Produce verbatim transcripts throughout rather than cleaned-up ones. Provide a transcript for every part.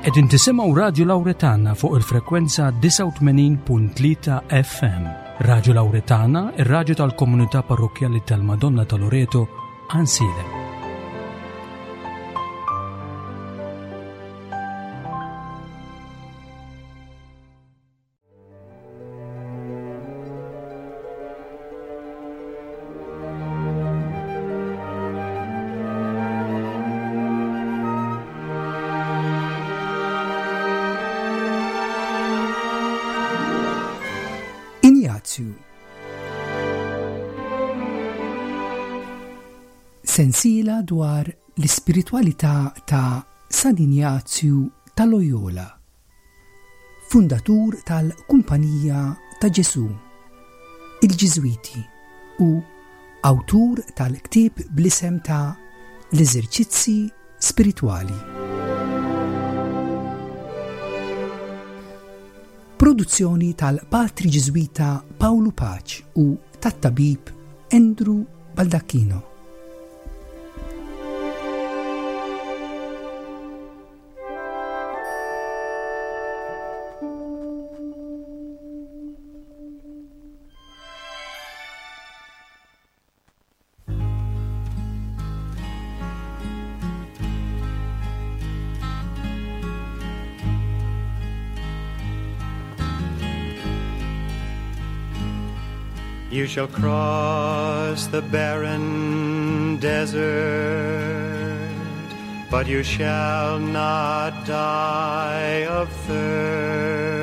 Qegħdin tisimgħu Radio Lauretana fuq il-frekwenza disgħa u tmenin punt tlieta F M. Radio Lauretana, ir-radju tal-Komunità Parrokkjali tal-Madonna ta' Loreto, Għajnsielem. Injazju. Sensiela dwar l-ispiritwalità ta' San Injazju ta' Loyola, fundatur tal-Kumpanija ta' Ġesu, il-Ġiżwiti, u awtur tal-ktieb bl-isem ta' L-Eżerċizzi Spiritwali. Produzzjoni tal-Patri Ġiżwita Paolo Pace u tat-tabib Andrew Baldacchino. You shall cross the barren desert, but you shall not die of thirst.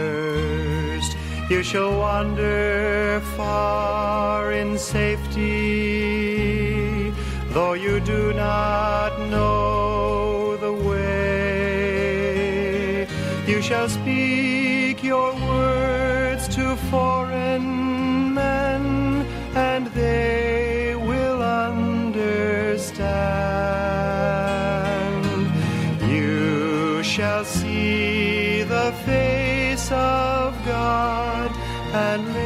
You shall wander far in safety, though you do not know the way. You shall speak your words to foreign men, and they will understand. You shall see the face of God and live.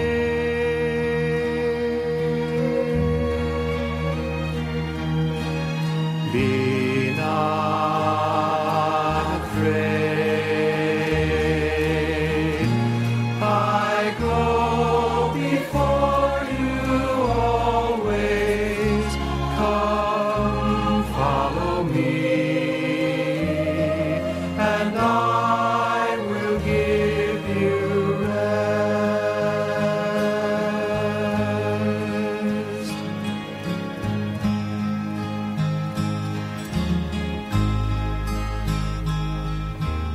Be not afraid. I go before you always. Come, follow me, and I will give you rest.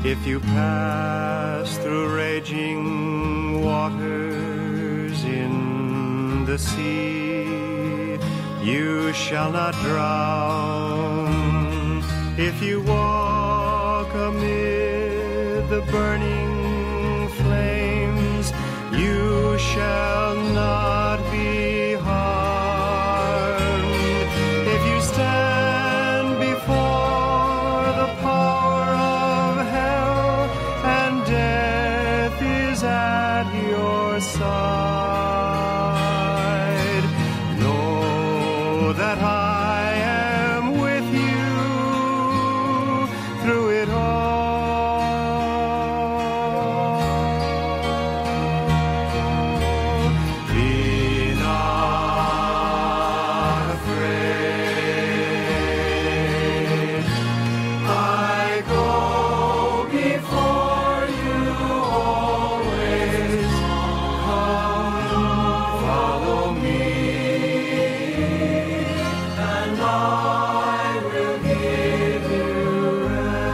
If you pass through raging waters in the sea, you shall not drown. If you walk amid the burning flames, you shall not be harmed. If you stand before the power of hell and death is at your side, know that I am with you through it all. Be not afraid. I go before you always. Come, follow me, and I will give you rest.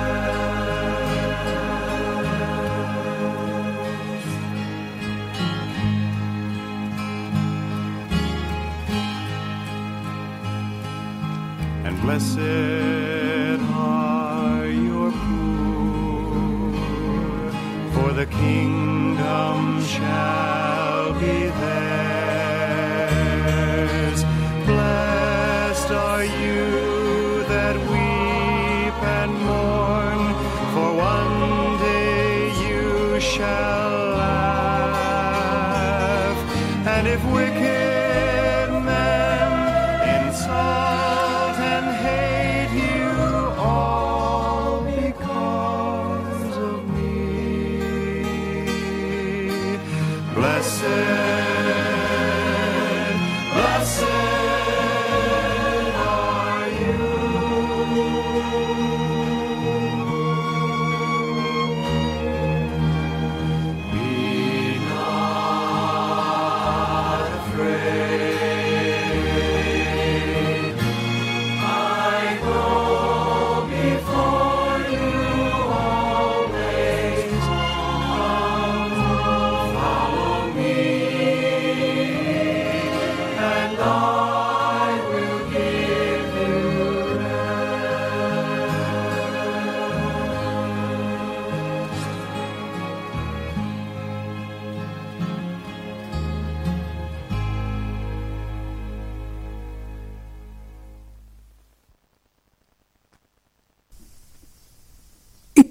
And blessed are your poor, for the kingdom shall be theirs. Blessed are you that weep and mourn, for one day you shall laugh. And if wicked men insult and hate you, all because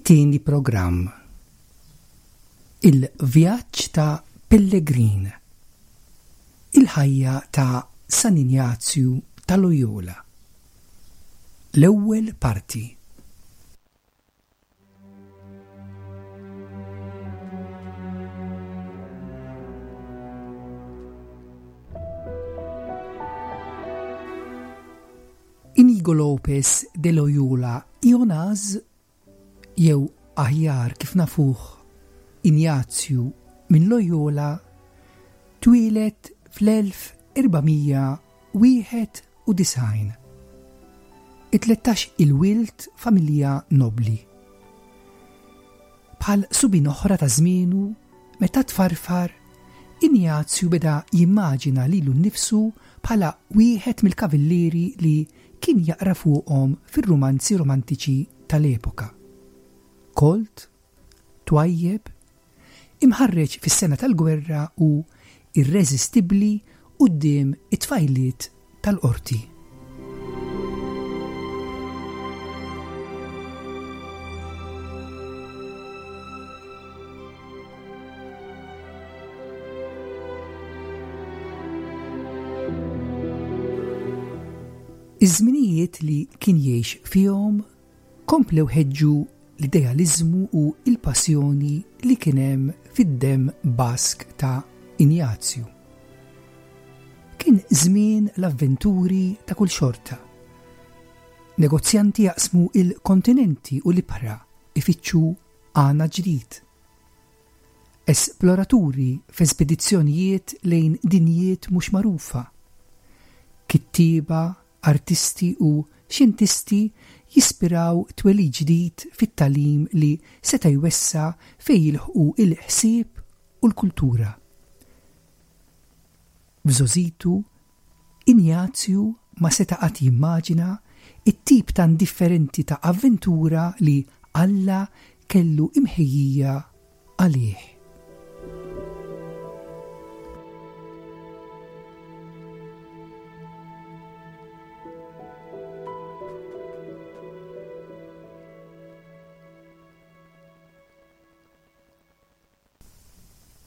It-tieni programm. Il-vjaġġ ta' Pellegrin. Il-ħajja ta' San Injazju ta' Loyola. L-ewwel parti. Inigo Lopez de Loyola Ionaz, jew aħjar kif nafuh Injazju minn Loyola, twieled fl-elf erbamija wieħed u disgħin. It-tlettax il-wild familja nobli. Bħal subin oħra ta' żmienu, meta tfarfar, Injazju beda jimmaġina lilu nnifsu bħala wieħed mill-kavallieri li kien jaqra fuqhom fir-rumanzi romantiċi tal-epoka. Kolt, twajjeb, imħarreġ fis-sena tal-gwerra u irreżistibbli quddiem it-tfajliet tal-qorti. Iż-żminijiet li kien jgħix fihom komplew ħeġġu l-idealiżmu u l-passjoni li kien hemm fid-demm Bask ta' Injazju. Kien żmien l-avventuri ta' kull xorta. Negozjanti jaqsmu il-kontinenti u l-ibħra ifittxu għana ġdid. Esploraturi f'espedizzjonijiet lejn dinjiet mhux magħrufa. Kittieba, artisti u xjentisti jispiraw twelid ġdid fit-tagħlim li seta' jwessa' fejn jilħqu il-ħsieb u l-kultura. F'żożitu, Injazju ma seta' qatt jimmaġina it-tip ta' indifferenti ta' avventura li Alla kellu imħejjija għalih.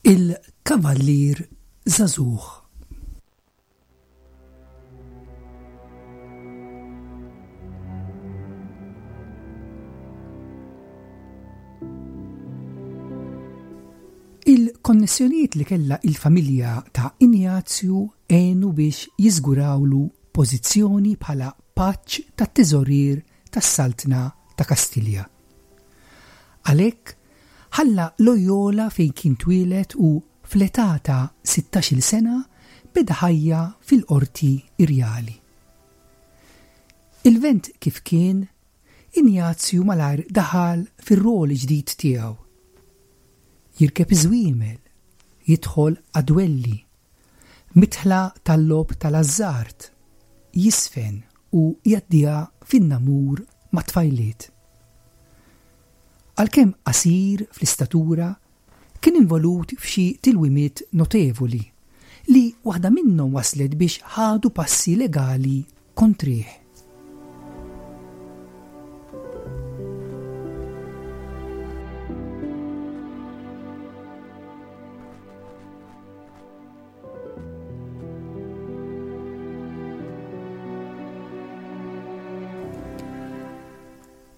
Il-Kavallier Żagħżugħ. Il-konnessjonijiet li kellha il-familja ta' Injazju għenu biex jiżgurawlu pożizzjoni bħala paċ tat-teżorier tas-Saltna ta' Kastilja. Għalhekk ħalla Loyola fejn kien twieled u fl-età ta' sittax-il sena beda ħajja fil-qorti irjali. Il-vent kif kien, Injazju malajr daħal fir-rol ġdid tiegħu. Jirkeb iż-żwiemel, jidħol għad-dwelli, mitħla tal-logħob tal-azzard, jisfen u jgħaddiha fin-namur ma' tfajliet. Għalkemm qasir fl-istatura, kien involut f'xi tilwimiet notevoli li waħda minnhom waslet biex ħadu passi legali kontrih.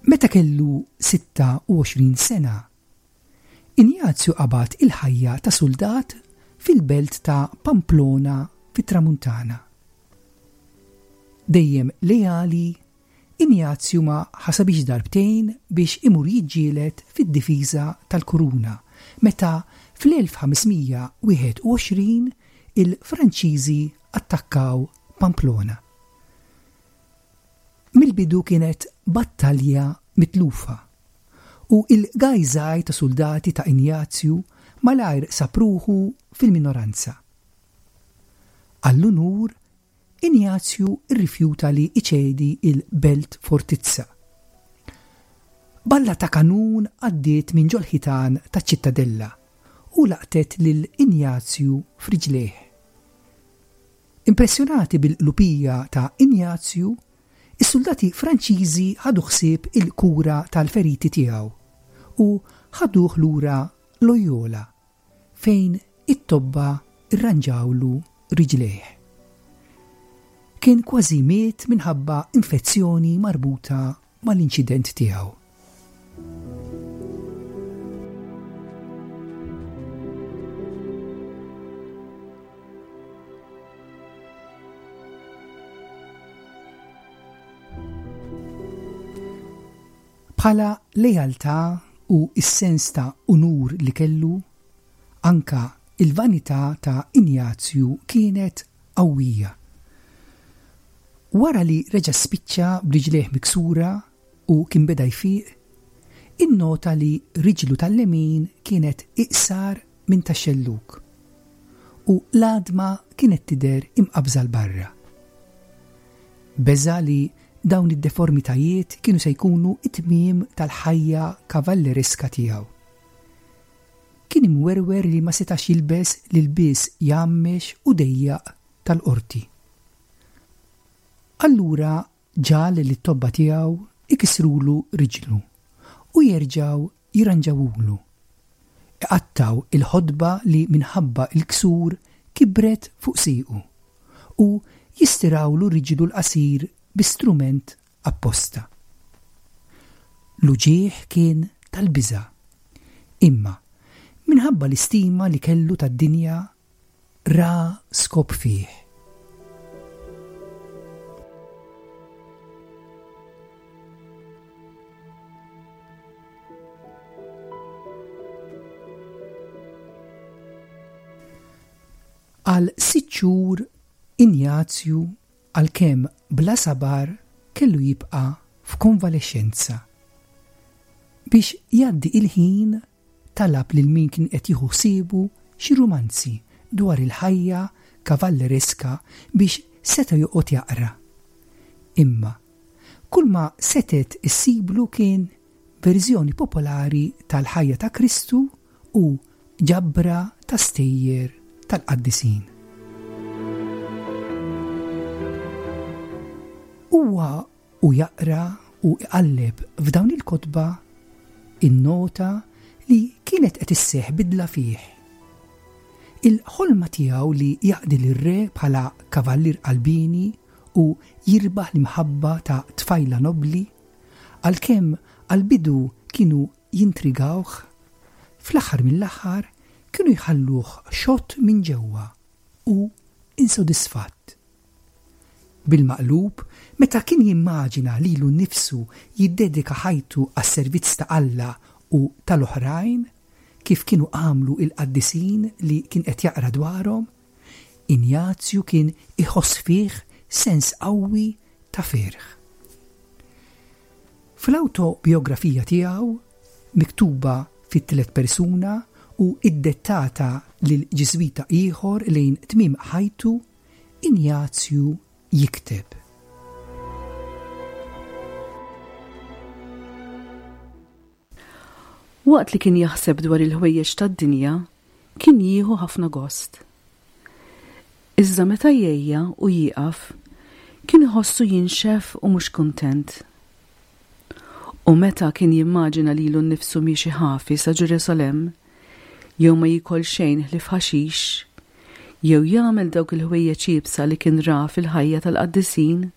Meta kellu sitta u għoxrin sena, Injazju qabad il-ħajja ta' soldat fil-belt ta' Pamplona fit-Tramuntana. Dejjem leali, Injazju ma ħasabix darbtejn biex imur jiġġieled fid-difiża tal-Kuruna meta fl-elf ħamesmija wieħed u għoxrin il-Franċiżi attakkaw Pamplona. Mill-bidu kienet battalja mitlufa u il-gajżaj ta' soldati ta' Injazju malajr sapruħu fil-minoranza. Għall-unur, Injazju rrifjuta li iċedi il-belt fortizza. Balla ta' kanun għaddiet minn ġol-ħitan ta' ċittadella u laqtet lil Injazju f'riġlejh. Impressjonati bil-lupija ta' Injazju, is-soldati Franċiżi ħadu ħsieb il-kura tal-feriti tiegħu u ħaduh lura Loyola fejn it-tobba irranġawlu riġlejh. Kien kważi miet minħabba infezzjoni marbuta mal-inċident tiegħu. Bħala lealtà u s-sens ta' unur li kellu, anka il-vanità ta' Injazju kienet qawwija. Wara li reġa' spiċċa b'riġlejh miksura u kien beda jfiq, innota li riġlu tal-lemin kienet iqsar minn tax-xellug u l-għadma kienet tidher imqabża 'l barra. Beża' li dawn id-deformitajiet kienu se jkunu it-tmiem tal-ħajja kavallereska tiegħu. Kien imwerwer li ma setax jilbes l-ilbies jgħammex u dejjaq tal-qorti. Allura ġal li t-tobba tiegħu ikisrulu riġlu u jerġgħu jirranġawulu. Iqattaw il-ħodba li minħabba il-ksur kibret fuq siequ u jistirawlu riġlu l-qasir bi strument apposta. L-uġigħ kien tal-biża', imma minħabba l-istima li kellu tad-dinja ra skop fih. Għal sitt xhur Injazju, għalkemm bla sabar, kellu jibqa' f'konvalescenza. Biex jgħaddi il-ħin talab lil min kien qed jieħu ħsiebu xi rumanzi dwar il-ħajja kavallereska biex seta' joqgħod jaqra. Imma kull ma setet issiblu kien verżjoni popolari tal-ħajja ta' Kristu u ġabra ta' stejjer tal-qaddisin. Huwa u jaqra u iqalleb f'dawn il-kotba innota li kienet qed isseħħ bidla fih. Il-ħolma tiegħu li jaqdi lir-re bħala kavallier qalbini u jirbaħ l-imħabba ta' tfajla nobli, għalkemm għall-bidu kienu jintrigawh, fl-aħħar mill-aħħar kienu jħalluh xott minn ġewwa u insodisfatt. Bil-maqlub, meta kien jimmaġina lilu nnifsu jiddedika ħajtu għas-servizz ta' Alla u tal-oħrajn, kif kienu għamlu il-qaddisin li kien qed jaqra dwarhom, Injazju kien iħoss fih sens qawwi ta' ferħ. Fl-awtobiografija tiegħu, miktuba fit-tliet persuna u iddettata lil ġiżwita ieħor lejn tmiem ħajtu, Injazju jikteb. Waqt li kien jaħseb dwar il-ħwejjeġ tad-dinja, kien jieħu ħafna gost. Iżda meta jgħejja u jieqaf, kien iħossu jinxef u mhux kuntent. U meta kien jimmaġina lilu nnifsu miexi ħafi sa Ġerusalemm, jew ma jiekol xejn ħlief ħaxix, jew jagħmel dawk il-ħwejjeġ iebsa li kien ra fil-ħajja tal-qaddisin,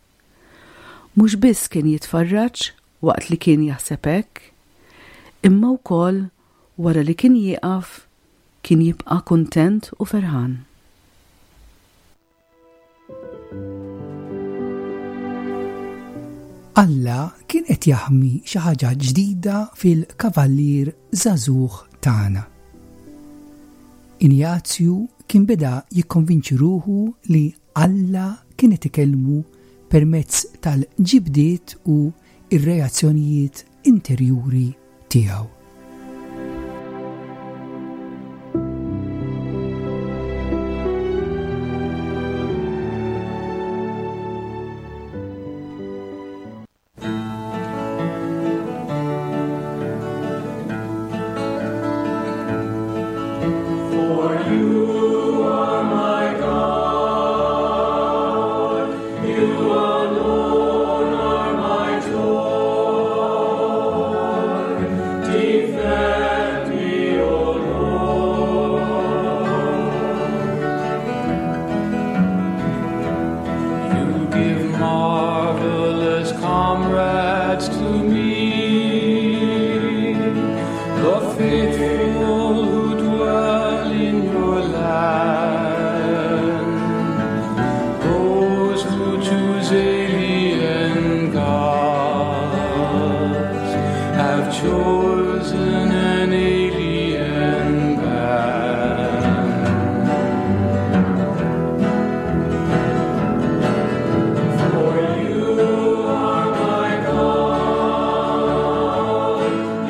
mhux biss kien jitfarraġ waqt li kien jaħseb hekk, imma wkoll wara li kien jieqaf kien jibqa' kuntent u ferħan. Alla kien qed jaħmi xi ħaġa ġdida fil-kavallier żagħżugħ tagħna. Injazju kien beda jikkonvinċi ruħu li Alla kien qed ikellmu permezz tal-ġibdiet u ir-reazzjonijiet interjuri tiegħu. For you are my God, you alone are my joy. comrades to me, the faithful who dwell in your land, those who choose alien gods have chosen an alien band. For you are my God,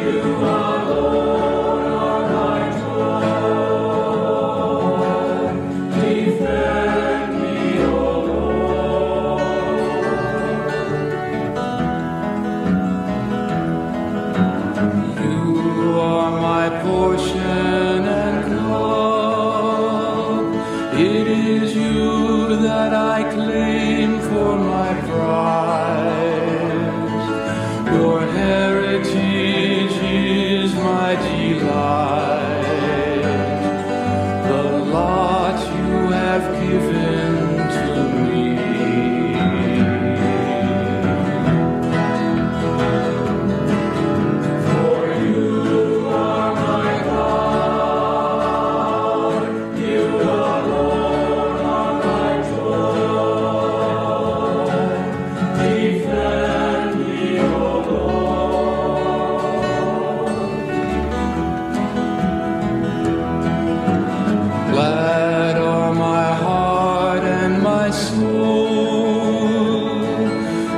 you alone are my joy. Defend me, O Lord. You are my portion and cup. It is you that I claim for my prize. Your heritage is my delight. The lot you have given to me. For you are my God, you alone are my joy. Defend me, O Lord. Glad are my heart and my soul.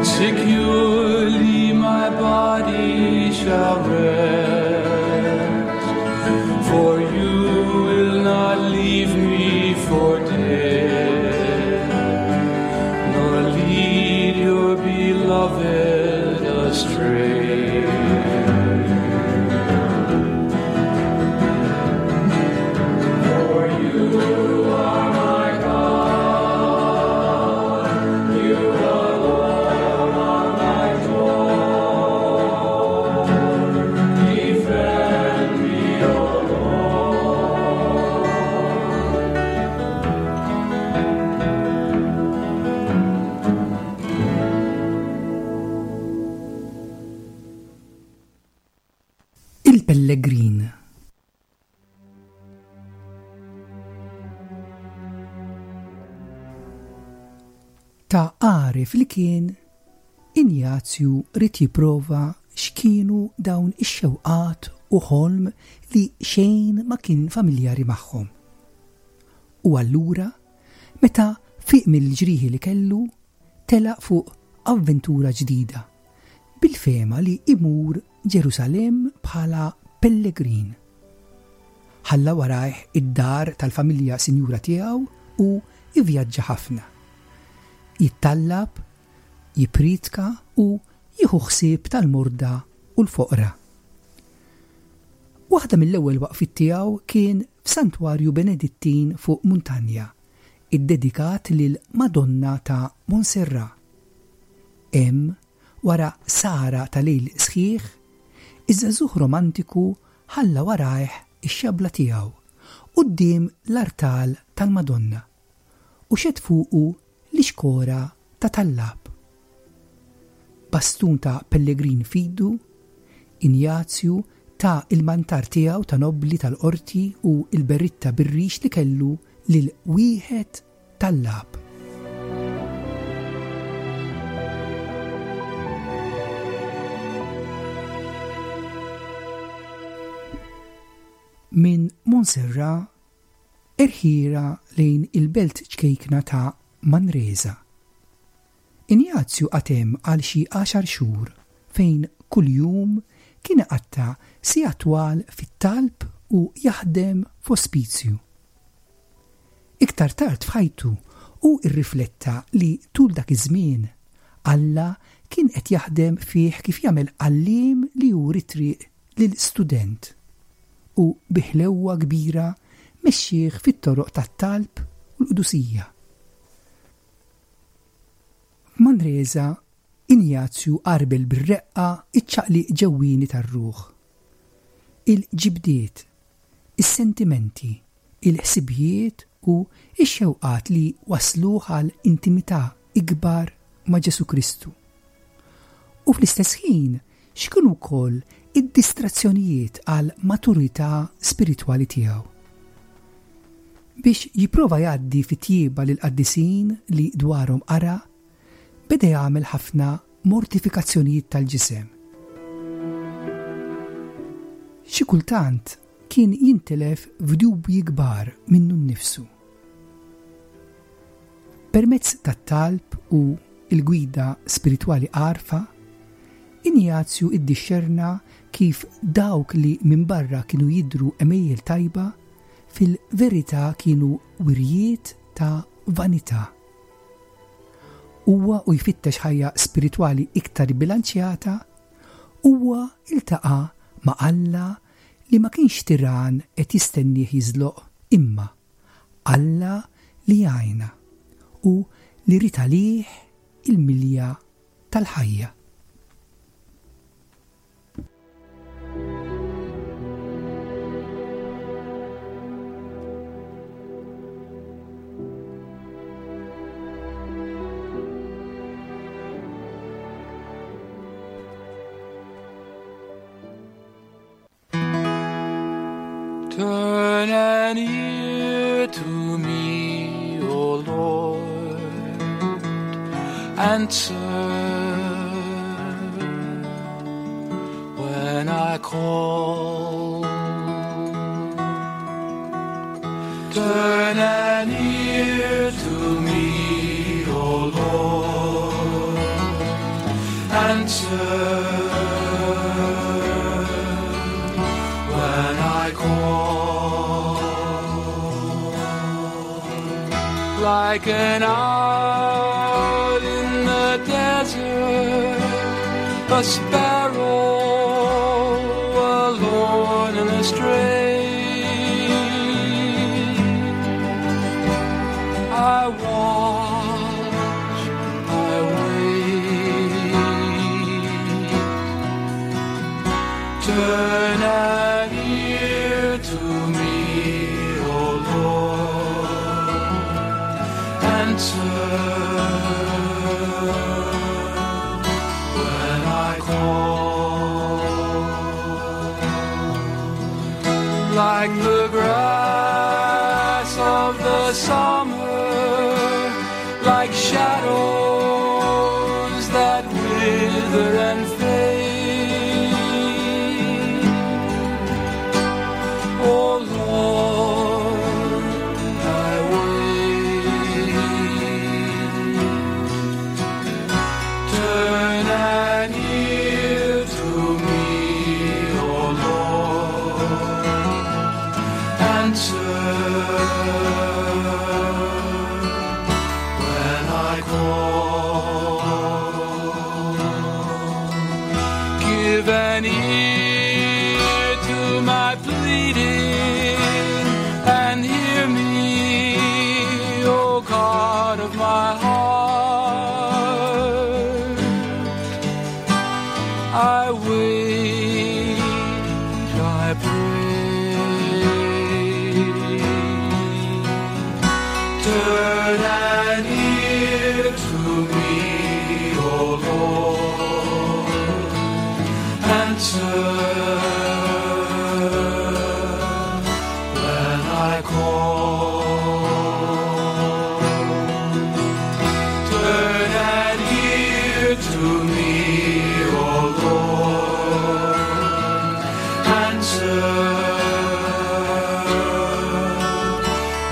Securely my body shall rest, for you will not leave me for dead, nor lead your beloved astray. For you are my God, you alone are my joy. Defend me, O Lord. Il-Pellegrin. Ta' għaref li kien, Injazju ried jipprova x'kienu dawn ix-xewqat u ħolm li xejn ma kien familjari magħhom. U allura, meta fiq mill-ġrieħi li kellu, telaq fuq avventura ġdida, bil-fema li imur Ġerusalemm bħala pellegrin. Ħalla warajh id-dar tal-familja sinjura tiegħu u ivvjaġġa ħafna. Jittallab, jipritka u jieħu ħsieb tal-morda u l-foqra. Waħda mill-ewwel waqfiet tiegħu kien f'Santwarju Benedittin fuq Muntanja, iddedikat lil Madonna ta' Montserrat. Hemm, wara sara ta' lejl sħiħ, iż-żagħżugħ romantiku ħalla warajh ix-xabla tiegħu quddiem l-artal tal-Madonna u xed fuqu l-ixkora ta' tallab. Bastun ta' pellegrin fidu, Injazju ta' il-mantar tiegħu ta' nobli tal-qorti u il-berritta bir-rix li kellu lil wieħed tallab. Minn Montserrat erħira lejn il-belt ċkejkna ta' Manresa. Injazju qatem għal xi għaxar xhur fejn kuljum kien iqatta' siegħa twal fit-talb u jaħdem f'ospizju. Iktar tard f'ħajtu hu rrifletta li tul dak iż-żmien Alla kien qed jaħdem fih kif jagħmel għalliem li juri triq lil student u bi ħlewwa kbira mexxih fit-toroq tat-talb u l-qdusija. F'Manresa, Injazju qarbel bir-reqqa iċ-ċaqliq ġewwieni tar-ruħ. Il-ġibdiet, is-sentimenti, il-ħsibijiet u x-xewqat li wasluh għal intimità ikbar ma' Ġesu Kristu. U fl-istess ħin x'kienu wkoll id-distrazzjonijiet għal maturità spiritwali tiegħu. Biex jipprova jgħaddi fit-tjieba lill-qaddisin li dwarhom qara, beda jagħmel ħafna mortifikazzjonijiet tal-ġisem. Xi kultant kien jintilef f'dubji kbar minnu nnifsu. Permezz tat-talb u l-gwida spiritwali għarfa, Injazju iddixxerna kif dawk li minn barra kienu jidhru għemejjel tajba fil-verità kienu wirjiet ta' vanità. Huwa u jfittex ħajja spiritwali iktar bilanċjata, huwa iltaqa' ma' Alla li ma kienx tiran qed jistennieh jiżloq, imma Alla li jgħinna u li ried għalih il-milja tal-ħajja. Turn an ear to me, O Lord, answer when I call. Turn an ear to me, O Lord, answer when I call. Like an owl in the desert, a sparrow alone and astray, I watch, I wait. Turn an ear to me, O Lord, answer when I call. Like the grass of the summer, like shadows that wither and fade, O Lord, I wait. Turn an ear to me, O Lord, answer when I call. Give an ear to my pleading and hear me, O God of my heart. I wait, I pray. Turn an ear to me, O Lord, answer when I call. Turn an ear to me, O Lord, answer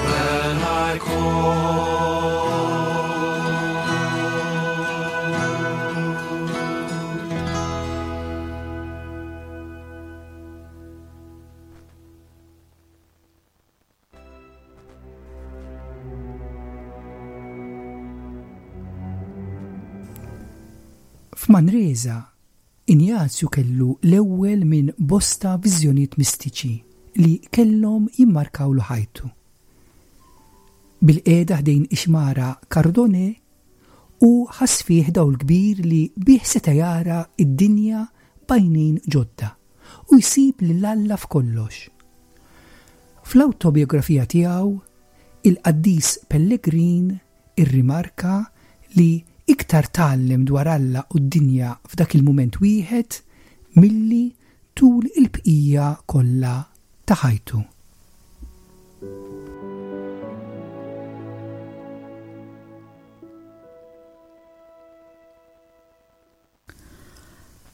when I call. F'Manresa, Injazju kellu l-ewwel minn bosta viżjonijiet mistiċi li kellhom jimmarkawlu ħajtu. Bil-qiegħda ħdejn ix-xmara Cardone u ħass fih dawl kbir li bih seta' jara id-dinja b'għajnejn ġodda u jsib lil Alla f'kollox. Fl-awtobiografija tiegħu, il-qaddis Pellegrin irrimarka li Iktar tgħallem dwar Alla u d-dinja f'dak il-mument wieħed milli tul il-bqija kollha ta' ħajtu.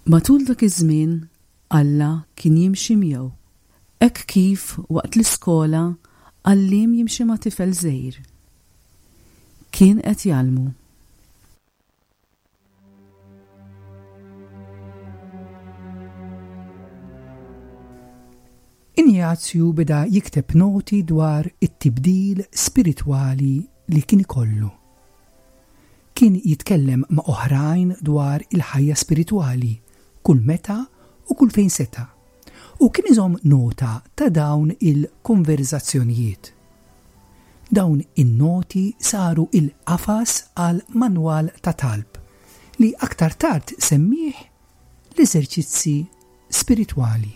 Matul dak iż-żmien Alla kien jimxi miegħu. Hekk kif waqt l-iskola għalliem jimxi ma' tifel żgħir. Kien qed jgħallmu. Injazju beda jikteb noti dwar it-tibdil spiritwali li kien ikollu. Kien jitkellem ma' oħrajn dwar il-ħajja spiritwali kull meta u kull fejn seta', u kien iżomm nota ta' dawn il-konverzazzjonijiet. Dawn in-noti saru il-qafas għal manwal ta' talb li aktar tard semmih l-eżerċizzi spiritwali.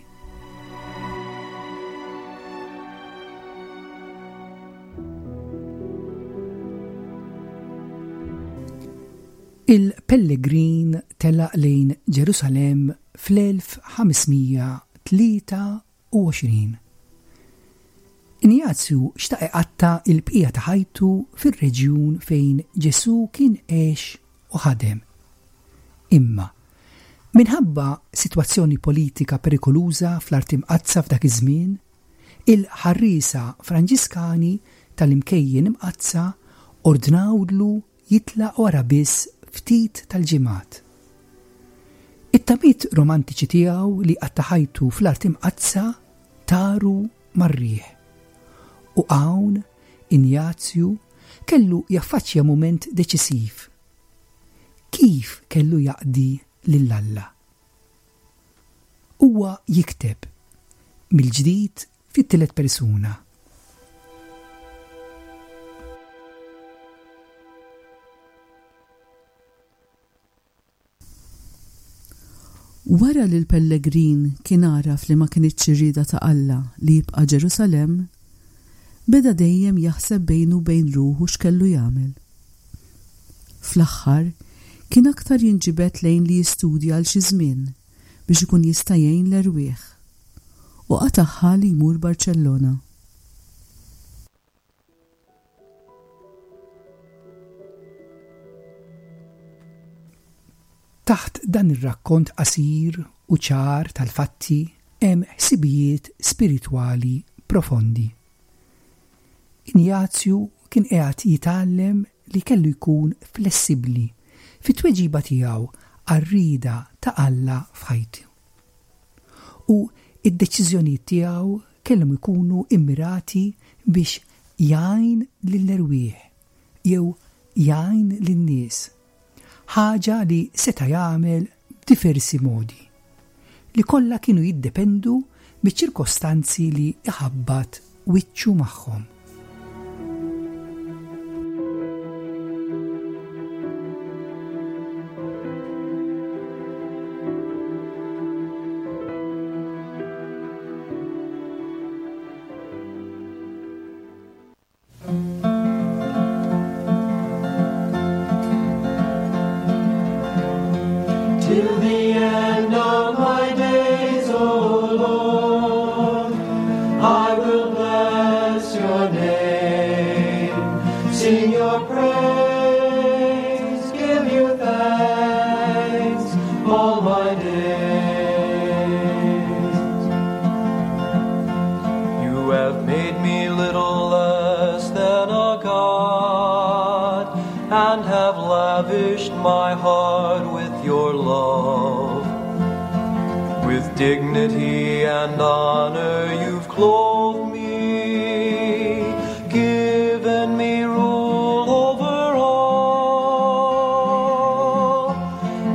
Il-pellegrin telaq lejn Ġerusalemm fl-elf ħamesmija tlieta u għoxrin. Injazju xtaq iqatta' il-bqija ta' ħajtu fir-reġjun fejn Ġesù kien għex u ħadem. Imma, minħabba sitwazzjoni politika perikoluża fl-Art Imqaddsa f'dak iż-żmien, il-ħarriesa Franġiskani tal-imkejjen imqaddsa ordnawlu jitlaq wara biss ftit tal-ġimgħat. It-tamiet romantiċi tiegħu li qatta' ħajtu fl-Art Imqaddsa taru mar-riħ. U hawn Injazju kellu jaffaċċja mument deċisiv. Kif kellu jaqdi lil Alla? Huwa jikteb mill-ġdid fit-tielet persuna. Wara li l-pellegrin kien għaraf li ma kinitx ir-rieda ta' Alla li jibqa' Ġerusalemm, beda dejjem jaħseb bejnu u bejn ruħu x'kellu jagħmel. Fl-aħħar kien aktar jinġibed lejn li jistudja għal xi żmien biex ikun jista' jgħin l-erwieħ, u qatagħha li jmur Barċellona. Taħt dan ir-rakkont qasir u ċar tal-fatti hemm ħsibijiet spiritwali profondi. Injazju kien qiegħed jitgħallem li kellu jkun flessibbli fit-tweġiba tiegħu għar-rieda ta' Alla f'ħajtu. U id-deċiżjonijiet tiegħu kellhom ikunu immirati biex jgħin lill-erwieħ jew jgħin lin-nies, ħaġa li seta' jagħmel b'diversi modi, li kollha kienu jiddependu miċ-ċirkostanzi li iħabbat wiċċu magħhom. Till the end of my days, O Lord, I will bless your name, sing your praise, give you thanks all my days. You have made me little less than a god, and have lavished my heart with your love. With dignity and honor you've clothed me, given me rule over all.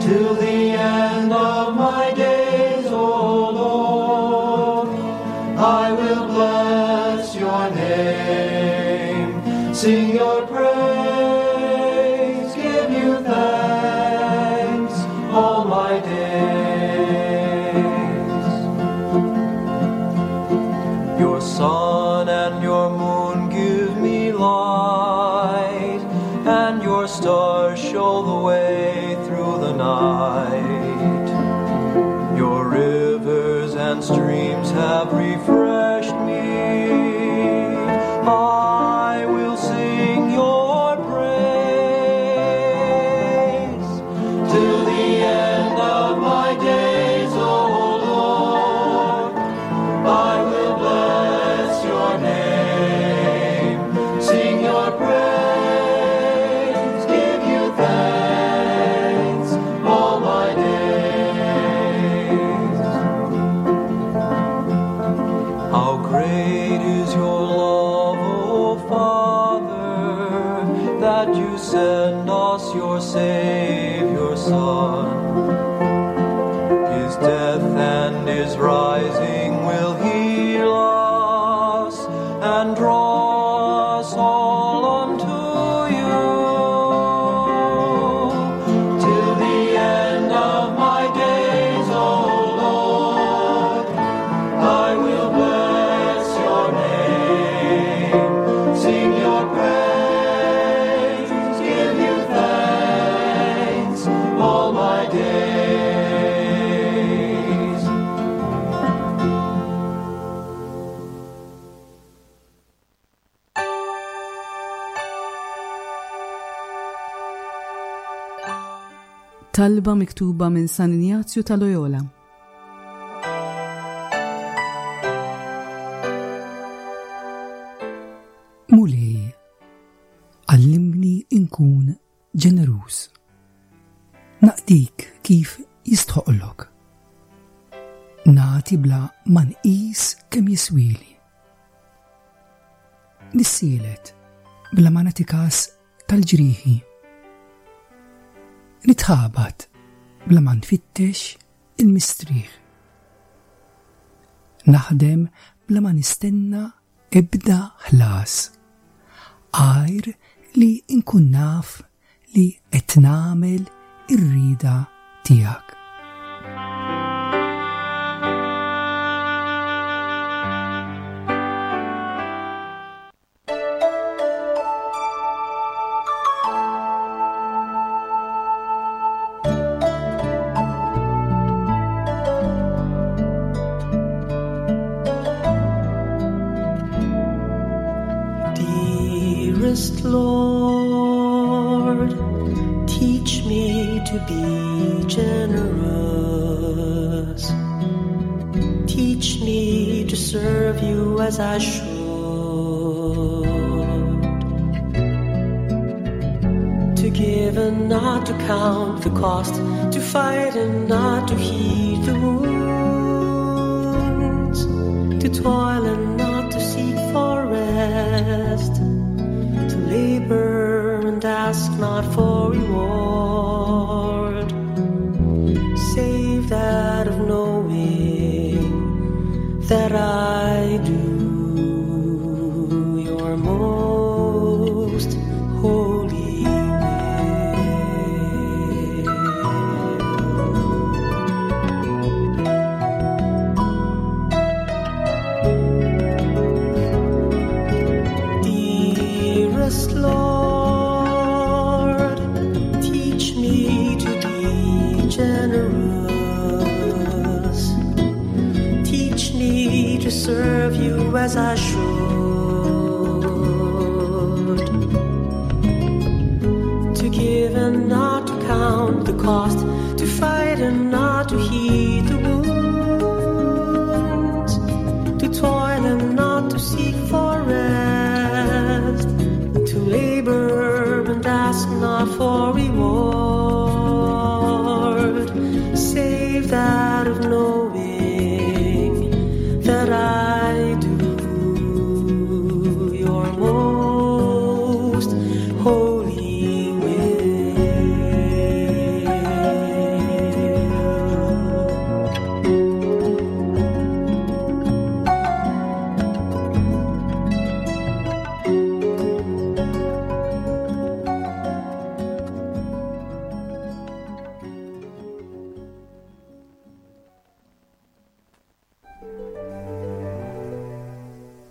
Till the end of my days, O Lord, I will bless your name, sing your praise, give you thanks all my days. Your and streams have refreshed me. I will sing your praise till the end of my days, O Lord. I will bless your name, sing your praise, give you thanks all my days. How great is your love, O Father, that you send us your Savior Son. His death and his rising will heal us and draw us all unto you. Till the end of my days, O Lord, I will bless your name, sing your praise, give you thanks all my days. Talba miktuba minn San Injazju ta' Loyola. Mulej, għallimni inkun ġeneruż. Naqdik kif jistħoqlok. Nagħti bla ma nqis kemm jiswili. Nissielet bla ma nagħti kas tal-ġrieħi. Nitħabat bla ma nfittex il-mistrieħ. Naħdem bla ma nistenna ebda ħlas, għajr li nkun naf li qed nagħmel ir-rieda tiegħek. Dearest Lord, teach me to be generous. Teach me to serve you as I should. To give and not to count the cost, to fight and not to heed the wounds, to toil and not to seek for rest, to labor and ask not for reward, save that of knowing that I do your most holy will. Dearest Lord, teach me to be generous. Teach me to serve you as I should. To give and not to count the cost, to fight and not to heed the wounds, to toil and not to seek for rest, to labor and ask not for reward, save that of knowing that I do your most holy will.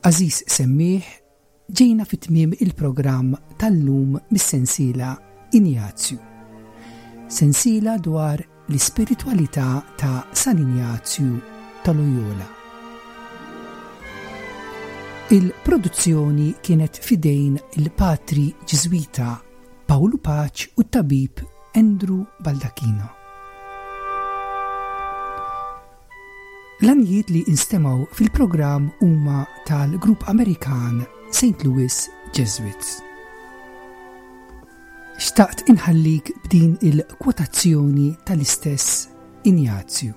Għażiż semmiegħ, ġejna fi tmiem il-programm tal-lum mis-sensiela Injazju. Sensiela dwar l-ispiritwalità ta' San Injazju ta' Loyola. Il-produzzjoni kienet f'idejn il-patri Ġiżwita Pawlu Pace u t-tabib Andrew Baldacchino. L-għanjiet li instemgħu fil-programm huma tal-grupp Amerikan Saint Louis Jesuits. Xtaqt inħallik b'din il-kwotazzjoni tal-istess Injazju.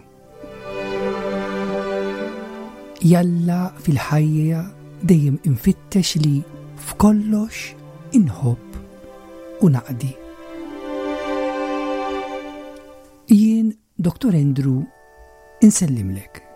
Jalla fil-ħajja dejjem infittex li f'kollox inħobb u naqdi. Jien, Doktor Andrew, insellimlek.